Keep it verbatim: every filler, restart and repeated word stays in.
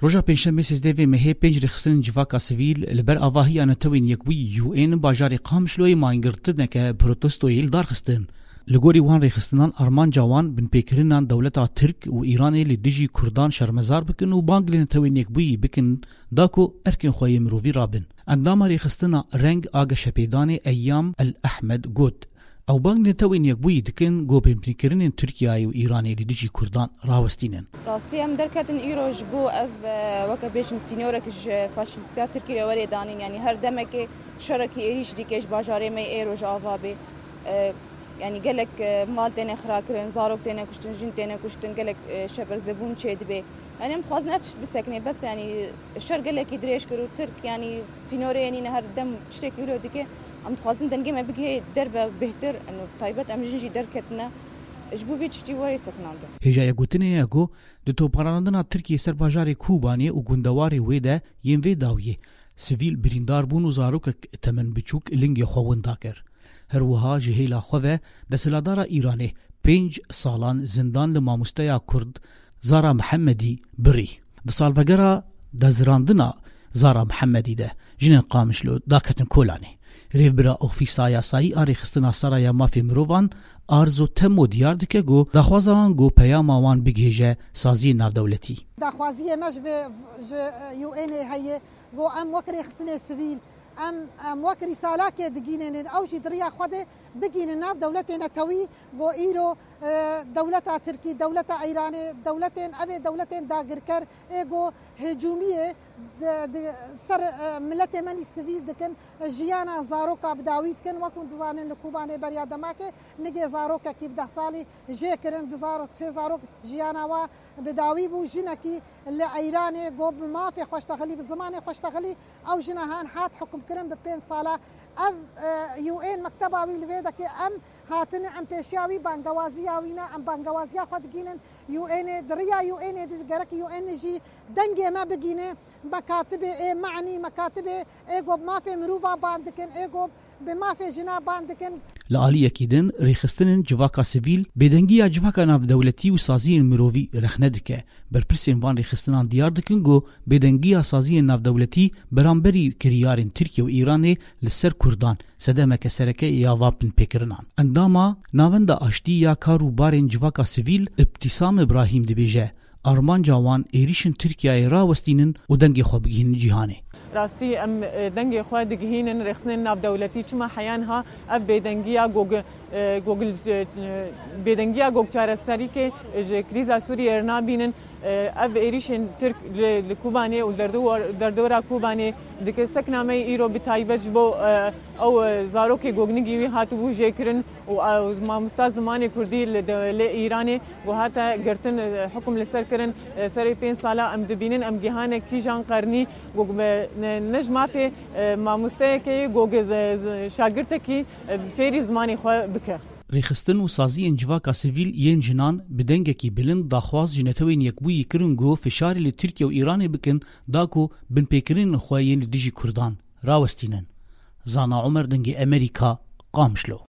Roja Pêncşemê sêzdeh vê mehê pênc rêxistinên civaka sivîl li ber avahiya Netewên Yekbûyî U N bajarê Qamişloyê mangirtineke protestoyê li dar xistin. Li gorî wan rêxistinan armanca wan binpêkirina dewleta Tirk û Îranê li dijî Kurdan şermezar bikin û bang li Netewên Yekbûyî bikin da ku erkên xwe yê mirovî rabin. Endama rêxistina Reng a Geşepêdanê Eyyam El Ehmed got, ew bang li Netewên Yekbûyî dikin ku binpêkirinên Tirkiyeyê û Îranê li dijî Kurdan rawestînin. Rastî em derketin îro ji bo ev, e, weke bêjin sînorek ji faşîstiya Tirkî re werê danîn. Yanî her demekê şerekî êrîş dike ji bajarê me yê Rojava bê. E, yanî gelek, e, mal têne xirakirin, zarok têne kuştin, jin têne kuştin, gelek, e, şeberzebûn çêdibe. Yanî em dixwazin ev tişt bisekine, bes yanî şer gelekî dirêj kir û Tirk yanî sînorê nîne her dem tiştekî wilo dike. Em dixwazin dengê me bigihê derbe bêhtir, û taybet em jin jî derketine. Ji bo vî tiştî werê sekinandin. Hêjaya gotinê ye ku di toparandina Tirkiyê ser bajarê Kobanê û gundewarê wê de yên vê dawiyê sivîl birîndar bûn û zarokek temenbiçûk lingê xwe winda kir. Her wiha ji hêla xwe ve desthilatdara Îranê pênc salan zindan li mamosteya Kurd Zara Mihemedî birî. Di salvegera dezirandina Zara Mihemedî de jinên Qamişlo daketin kolanê. Rêvbira Ofîsa Yasayî a Rêxistina Sara ya Mafê Mirovan Arzo Temo diyar dike ku daxwaza wan ku peyama wan bigihêje saziyên navdewletî. Daxwaziyê me ji vê, ji, e, U N ê heye ku em wek rêxistinê sivîl, em, em wek rîsalakê digînînin, ew jî di riya xwe de bigînin nav dewletê netewî, ku îro, e, dewleta Tirkî, dewleta Îranê, dewletên, ev ê dewletên dagirker ê ku hicûmiyê di, di ser, e, miletê me nî sivîl dikin, jiyana zaroka bi dawî dikin. Wek hûn dizanin li Kobanê beriya demakê nigê zarokekî bi deh salî jê kirin, di zarok, sê zarok jiyana wa bi dawî bû. Jinekî li Eyranê got bi mafê xwe ji texilî, bi zimanê xwe ji texilî, ew jina han hat hukmkirin bi pênc sala. Ev, e, U N mekteba wî li vê dekê em hatine, em pêşiya wî bangewaziya wî ne, em bangewaziya xwe digînin U N ê, di riya U N ê de gerek U N jî dengê me bigîne, mekatibê ê me'nî, mekatibê ê got mafê mirova ban dikin, ê got bi mafê jina ban dikin. Li aliyekî din, rêxistinên civaka sivîl bêdengiya civaka navdewletî û saziyên mirovî rexne dike. Berpirsên van rêxistinan diyar dikin ku bêdengiya saziyên navdewletî beramberî kiryarên Tirkiye û Îranê li ser Kurdan sedemeke sereke ya van binpêkirinan. Endama Navenda Aştî ya Kar û Barên Civaka Sivîl Îbtîsam Îbrahîm dibêje, armanca wan êrîşên Tirkiyeyê rawestînin û dengê xwe bigihînin cîhanê. Rastî em, e, dengê xwe digihînin rêxistinên navdewletî, çima heya niha ev bêdengiya gog, e, gogil, e, bêdengiya gog çareserîkê ji krîza Sûriyê re nabînin. E, ev êrîşên Tirk li, li Kobanê û derdor-, derdora Kobanê dike. Sekna me îro bi taybet ji bo, e, ew, e, zarokê gognigî wî hatibû jêkirin û, e, mamosta zimanê Kurdî li de-, lê Îranê ku hate girtin, e, hukum li ser kirin, e, serê pênc sala em dibînin, em gihane kîjan qernî, ku me ne, ne ji mafê, e, mamosteyekê ye, ku ge-, ze-, ze-, şagirtekî, e, fêrî zimanê xwe bike. Rêxistin û saziyên civaka sivîl yên jinan bi dengekî bilind daxwaz ji Netewên Yekbûyî kirin ku fişarê li Tirkiye û Îranê bikin, da ku binpêkirinên xwe yên li dijî Kurdan rawestînin. Zana Omer, Dengê Emerîka, Qamişlo.